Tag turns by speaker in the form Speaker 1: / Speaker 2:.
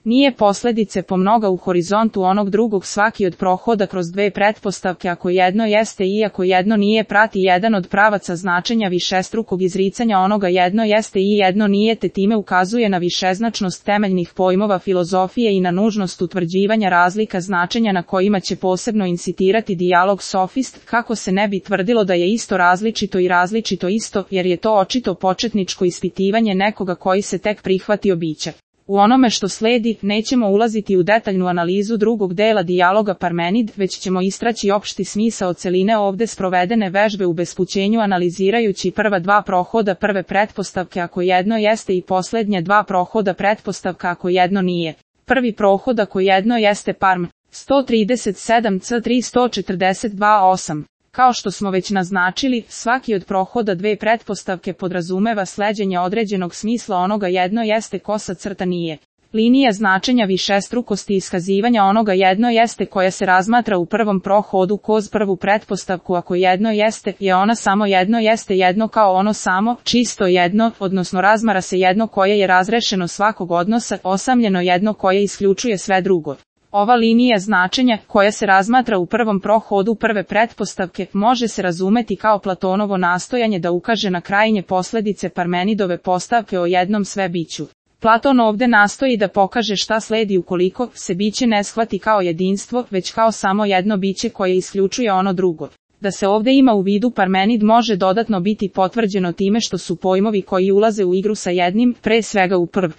Speaker 1: Nije posledice po mnoga u horizontu onog drugog, svaki od prohoda kroz dve pretpostavke ako jedno jeste i ako jedno nije prati jedan od pravaca značenja višestrukog izricanja onoga jedno jeste i jedno nije, te time ukazuje na višeznačnost temeljnih pojmova filozofije i na nužnost utvrđivanja razlika značenja na kojima će posebno incitirati dijalog sofist, kako se ne bi tvrdilo da je isto različito i različito isto, jer je to očito početničko ispitivanje nekoga koji se tek prihvatio bića. U onome što sledi, nećemo ulaziti u detaljnu analizu drugog dela dijaloga Parmenid, već ćemo istraći opšti smisao celine ovde sprovedene vežbe u bespućenju analizirajući prva dva prohoda prve pretpostavke ako jedno jeste i poslednje dva prohoda pretpostavka ako jedno nije. Prvi prohod ako jedno jeste Parm, 137 c 342-8. Kao što smo već naznačili, svaki od prohoda dve pretpostavke podrazumeva sleđenje određenog smisla onoga jedno jeste kosa crta nije. Linija značenja višestrukosti iskazivanja onoga jedno jeste koja se razmatra u prvom prohodu koz prvu pretpostavku ako jedno jeste, je ona samo jedno jeste jedno kao ono samo, čisto jedno, odnosno razmara se jedno koje je razrešeno svakog odnosa, osamljeno jedno koje isključuje sve drugo. Ova linija značenja, koja se razmatra u prvom prohodu prve pretpostavke, može se razumeti kao Platonovo nastojanje da ukaže na krajnje posledice Parmenidove postavke o jednom sve biću. Platon ovde nastoji da pokaže šta sledi ukoliko se biće ne shvati kao jedinstvo, već kao samo jedno biće koje isključuje ono drugo. Da se ovde ima u vidu Parmenid može dodatno biti potvrđeno time što su pojmovi koji ulaze u igru sa jednim, pre svega u prv